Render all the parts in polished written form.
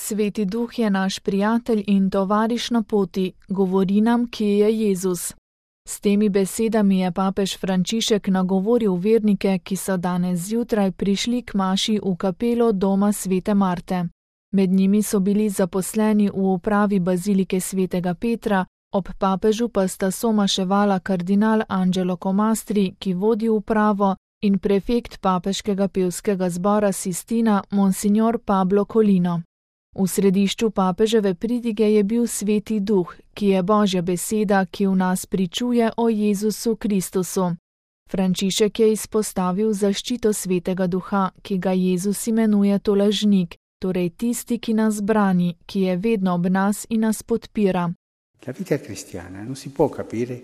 Sveti Duh je naš prijatelj in tovariš na poti, govori nam, kje je Jezus. S temi besedami je papež Frančišek nagovoril vernike, ki so danes zjutraj prišli k maši v kapelo doma svete Marte. Med njimi so bili zaposleni v upravi bazilike svetega Petra, ob papežu pa sta somaševala kardinal Angelo Comastri, ki vodi upravo, in prefekt papeškega pevskega zbora Sistina, monsignor Pablo Colino. V središču papeževe pridige je bil Sveti Duh, ki je Božja beseda, ki v nas pričuje o Jezusu Kristusu. Frančišek je izpostavil zaščito Svetega Duha, ki ga Jezus imenuje tolažnik, torej tisti, ki nas brani, ki je vedno ob nas in nas podpira. La vita cristiana non si può capire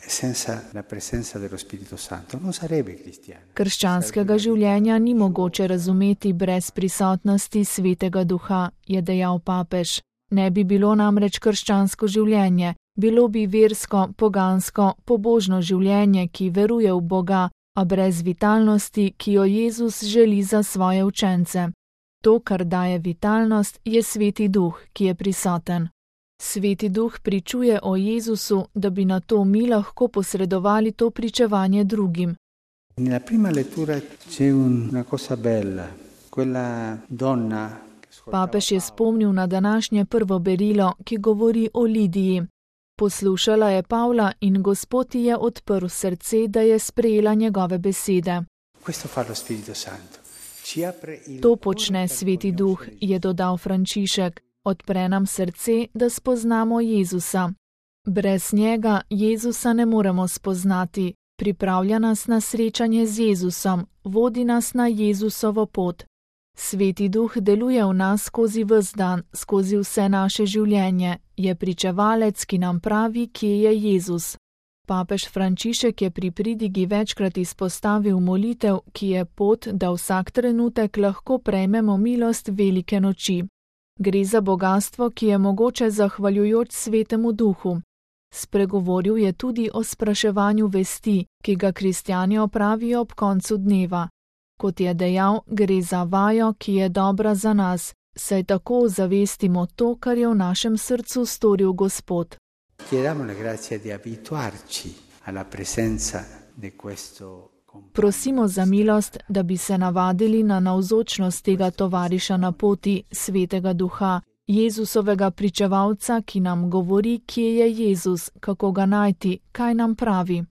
senza la presenza dello Spirito Santo, non sarebbe cristiana. Krščanskega življenja ni mogoče razumeti brez prisotnosti Svetega Duha, je dejal papež. Ne bi bilo namreč krščansko življenje, bilo bi versko, pogansko, pobožno življenje, ki veruje v Boga, a brez vitalnosti, ki jo Jezus želi za svoje učence. To, kar daje vitalnost, je Sveti Duh, ki je prisoten. Sveti Duh pričuje o Jezusu, da bi na to mi lahko posredovali to pričevanje drugim. Nella prima lettura c'è una cosa bella, quella donna. Papež je spomnil na današnje prvo berilo, ki govori o Lidiji. Poslušala je Pavla in Gospod ji je odprl srce, da je sprejela njegove besede. Questo fa lo Spirito Santo. To počne Sveti Duh, je dodal Frančišek. Odpre nam srce, da spoznamo Jezusa. Brez njega Jezusa ne moremo spoznati. Pripravlja nas na srečanje z Jezusom, vodi nas na Jezusovo pot. Sveti Duh deluje v nas skozi ves dan, skozi vse naše življenje. Je pričevalec, ki nam pravi, kje je Jezus. Papež Frančišek je pri pridigi večkrat izpostavil molitev, ki je pot, da vsak trenutek lahko prejmemo milost velike noči. Gre za bogastvo, ki je mogoče zahvaljujoč Svetemu Duhu. Spregovoril je tudi o spraševanju vesti, ki ga kristjani opravijo ob koncu dneva. Kot je dejal, gre za vajo, ki je dobra za nas, saj tako zavestimo to, kar je v našem srcu storil Gospod. Prosimo za milost, da bi se navadili na navzočnost tega tovariša na poti, Svetega Duha, Jezusovega pričevalca, ki nam govori, kje je Jezus, kako ga najti, kaj nam pravi.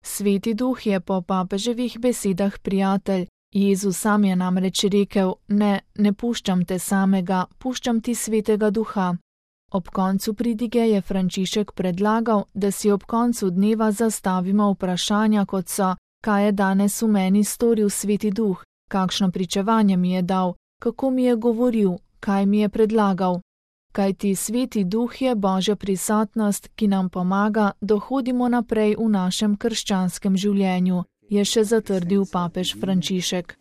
Sveti Duh je po papeževih besedah prijatelj. Jezus sam je namreč rekel, ne puščam te samega, puščam ti Svetega Duha. Ob koncu pridige je Frančišek predlagal, da si ob koncu dneva zastavimo vprašanja, kot so: kaj je danes v meni storil Sveti Duh, kakšno pričevanje mi je dal, kako mi je govoril, kaj mi je predlagal. Kajti Sveti Duh je Božja prisotnost, ki nam pomaga, da hodimo naprej v našem krščanskem življenju, je še zatrdil papež Frančišek.